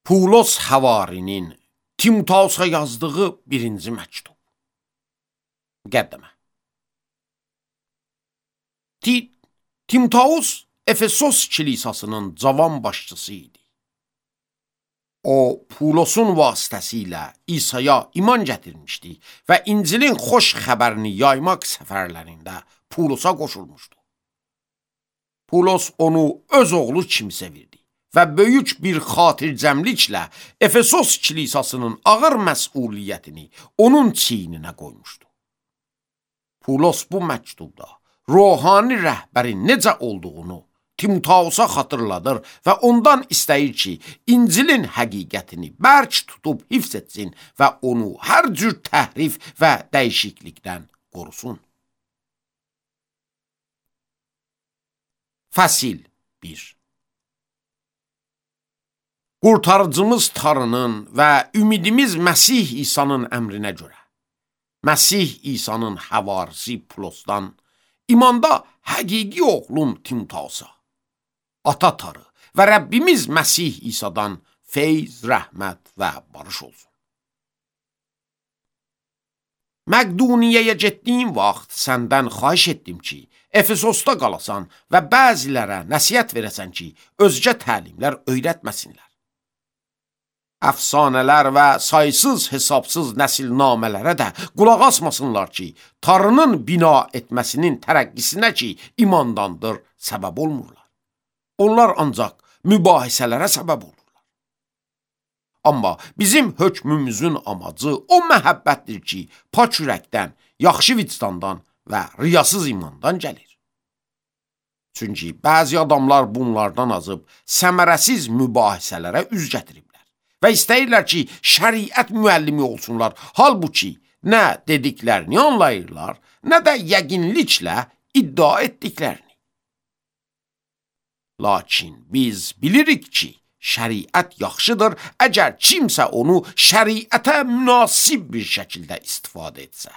Pulos Havarinin Timotausa yazdığı birinci məktub. Müqəddimə. Timotaus Efesos kilisasının cavan başçısı idi. O, Pulosun vasitəsilə İsa'ya iman gətirmişdi və İncilin xoş xəbərini yaymaq səfərlərində Pulosa qoşulmuşdu. Pulos onu öz oğlu kimi sevirdi və böyük bir xatircəmliklə Efesos kilisasının ağır məsuliyyətini onun çiyninə qoymuşdu. Pulos bu məktubda ruhani rəhbərin necə olduğunu Timotausa xatırladır və ondan istəyir ki, İncilin həqiqətini bərk tutub hifz etsin və onu hər cür təhrif və dəyişiklikdən qorusun. Fəsil 1. Qurtarıcımız Tanrının və ümidimiz Məsih İsa'nın əmrinə görə, Məsih İsa'nın həvarisi Pulosdan, imanda həqiqi oğlum Timotausa, Ata Tanrı və Rəbbimiz Məsih İsa'dan feyz, rəhmət və barış olsun. Məqduniyyəyə getdiyim vaxt səndən xahiş etdim ki, Efesosda qalasan və bəzilərə nəsihət verəsən ki, özgə təlimlər öyrətməsinlər. Əfsanələr və saysız hesabsız nəsilnamələrə də qulaq asmasınlar ki, Tanrının bina etməsinin tərəqqisinə ki, imandandır, səbəb olmurlar. Onlar ancaq mübahisələrə səbəb olurlar. Amma bizim hökmümüzün amacı o məhəbbətdir ki, pak ürəkdən, yaxşı vicdandan və riyasız imandan gəlir. Çünki bəzi adamlar bunlardan azıb səmərəsiz mübahisələrə üz gətiriblər və istəyirlər ki, şəriət müəllimi olsunlar. Halbuki nə dediklərini anlayırlar, nə də yəqinliklə iddia etdiklərini. Lakin biz bilirik ki, şəriət yaxşıdır, əgər kimsə onu şəriətə münasib bir şəkildə istifadə etsə.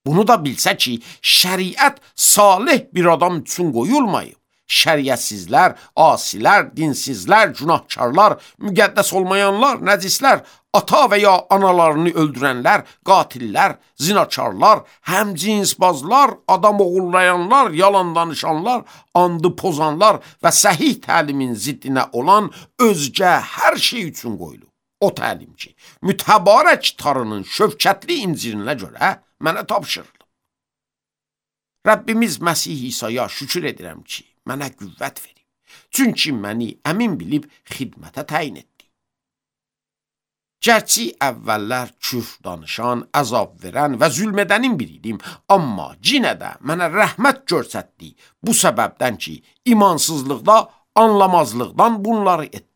Bunu da bilsə ki, şəriət salih bir adam üçün qoyulmayıb. Şəriətsizlər, asilər, dinsizlər, günahkarlar, müqəddəs olmayanlar, nəcislər, ata və ya analarını öldürənlər, qatillər, zinakarlar, həmcinsbazlar, adam oğullayanlar, yalan danışanlar, andı pozanlar və səhih təlimin ziddinə olan özgə hər şey üçün qoyulub. O təlim ki, mütəbarək Tanrının şövkətli İncilinə görə mənə tapşırılıb. Rəbbimiz Məsih İsa'ya şükür edirəm ki, mənə qüvvət verib. Çünki məni əmin bilib xidmətə təyin etdi. Gərçi əvvəllər küfr danışan, əzab verən və zülm edənin biriydim, amma yenə də mənə rəhmət göstərdi bu səbəbdən ki, imansızlıqda, anlamazlıqdan bunları etdim.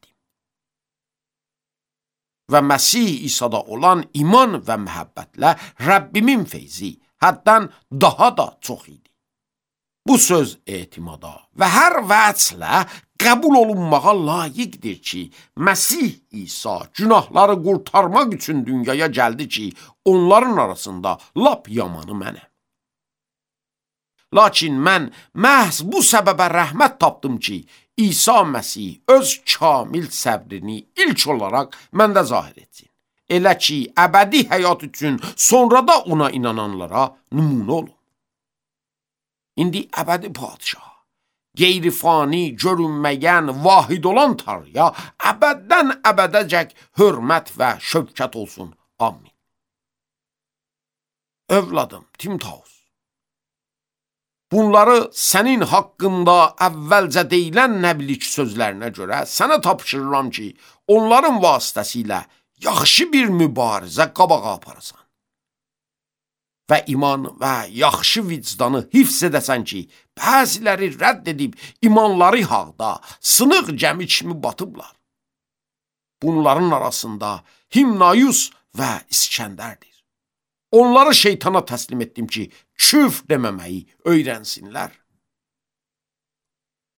Və Məsih İsa'da olan iman və məhəbbətlə Rəbbimin feyzi həddən daha da çox idi. Bu söz etimada və hər vəclə qəbul olunmağa layiqdir ki, Məsih İsa günahları qurtarmaq üçün dünyaya gəldi ki, onların arasında lap yamanı mənəm. Lakin mən məhz bu səbəbə rəhmət tapdım ki, İsa Məsih öz kamil səbrini ilk olaraq məndə zahir etsin. Elə ki, əbədi həyat üçün sonra da ona inananlara nümunə olun. İndi əbədi padişah, qeyri-fani, görünməyən, vahid olan Tanrıya əbəddən əbədəcək hörmət və şövkət olsun. Amin. Övladım Timotausa, bunları sənin haqqında əvvəlcə deyilən nəbilik sözlərinə görə sənə tapşırıram ki, onların vasitəsilə yaxşı bir mübarizə qabağa aparasan və iman və yaxşı vicdanı hifz edəsən ki, bəziləri rədd edib imanları haqda sınıq gəmi kimi batıblar. Bunların arasında Himnayus və İskəndərdir. Onları şeytana təslim etdim ki, küfr deməməyi öyrənsinlər.